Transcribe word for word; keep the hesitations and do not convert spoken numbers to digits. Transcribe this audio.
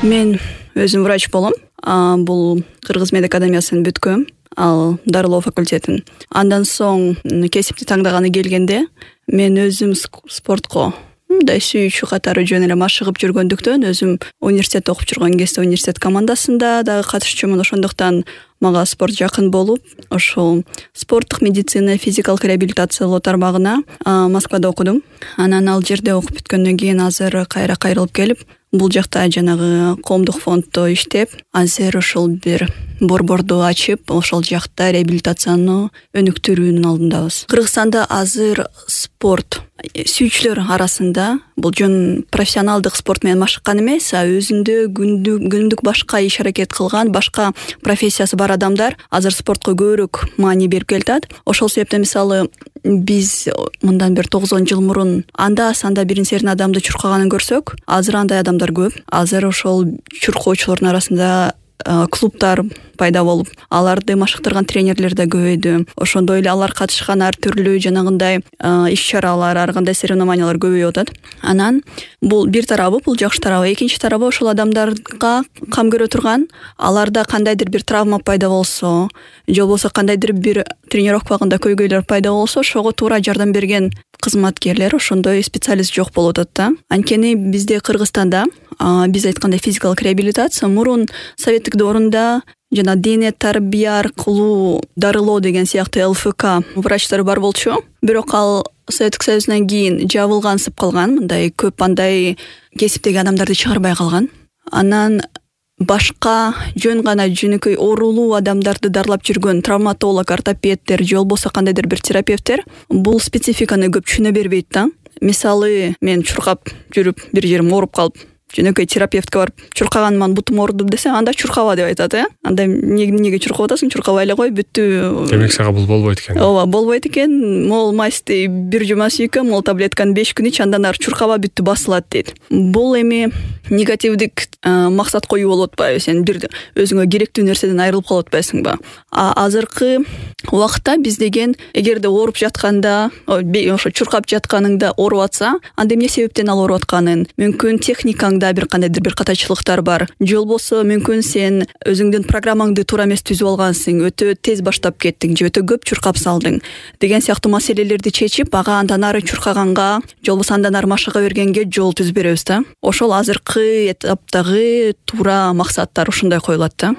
Мен өзүм врач болом. Бул Кыргыз мед академиясын бүткөм, ал дарылоо факультетин. Андан соң кесипти тандаганы келгенде мен өзүм спортко мындай сүйүүчү катары жөн эле машыгып жүргөндүктөн өзүм университетте окуп жүргөн кезде университет командасында дагы катышчумун. Ошондуктан мага спорт жакын болуп, ошол спорттук медицина, физикалык реабилитациялоо тармагына Москвада окудум. Анан ал жерде окуп бүткөндөн кийин азыр кайра кайрылып келип, бул жакта жанагы коомдук фонддо иштеп, азыр ошол бир борборду ачып, ошол жакта реабилитацияны өнүктүрүүнүн алдындабыз. Кыргызстанда азыр спорт сүйүүчүлөр арасында бул жөн профессионалдык спорт менен машыккан эмес, а өзүндө күндүк башка иш аракет кылган, башка профессиясы бар адамдар азыр спортко көбүрөөк маани берип келатат. Ошол себептен мисалы биз мындан бир тогуз он жыл мурун анда санда бирин серин адамды чуркаганын көрсөк, азыр андай адамдар көп. Азыр ошол чуркоочулордун арасында клубтар пайда болуп, аларды машыктырган тренерлер да көбөйдү. Ошондой эле алар катышкан ар түрлүү жанагындай иш-чаралар, ар кандай соревнованиялар көбөйүп атат. Анан бул бир тарабы, бул жакшы тарабы. Экинчи тарабы ошол адамдарга кам көрө турган, аларда кандайдыр бир травма пайда болсо, же болбосо кандайдыр бир тренировка убагында көйгөйлөр пайда болсо, ошого туура жардам берген кызматкерлер, ошондой специалист жок болуп атат да. Анткени бизде Кыргызстанда биз айткандай физикалык реабилитация мурун советтик доорунда жана дене тарбия аркылуу дарылоо деген сыяктуу эл эф ка врачтар бар болчу. Бирок ал Советтик Союздан кийин жабылгансып калган, мындай көп андай кесиптеги адамдарды чыгарбай калган. Анан башка жөн гана жөнөкөй оорулуу адамдарды дарылап жүргөн травматолог, ортопедтер же болбосо кандайдыр бир терапевттер бул спецификаны көп түшүнө бербейт да. Мисалы, мен чуркап жүрүп бир жерим ооруп калып, жөнөкөй терапевтке барып чуркаганыман бутум ооруду десем, анда чуркаба деп айтат, э? Анда эмнеге чуркап атасың? Чуркабай эле кой, бүттү. Демек сага бул болбойт экен. Ооба, болбойт экен. Мол масти бир жума сүйкө, мол таблетканы беш күн ич, андан ары чуркаба, бүттү, басылат дейт. Бул эми негативдик максат коюу болуп атпайбы? Сен бир өзүңө керектүү нерседен айрылып калып атпайсыңбы? А азыркы убакытта биз деген эгерде ооруп жатканда, ошо чуркап жатканыңда ооруп атса, анда эмне себептен ал ооруп атканын, мүмкүн техникаңда бир кандайдыр бир катачылыктар бар, же болбосо мүмкүн сен өзүңдүн программаңды туура эмес түзүп алгансың, өтө тез баштап кеттиң, же өтө көп чуркап салдың деген сыяктуу маселелерди чечип, ага андан ары чуркаганга, же болбосо андан ары машыга бергенге жол түзүп беребиз да. Ошол азыркы этаптагы туура максаттар ушундай коюлат да.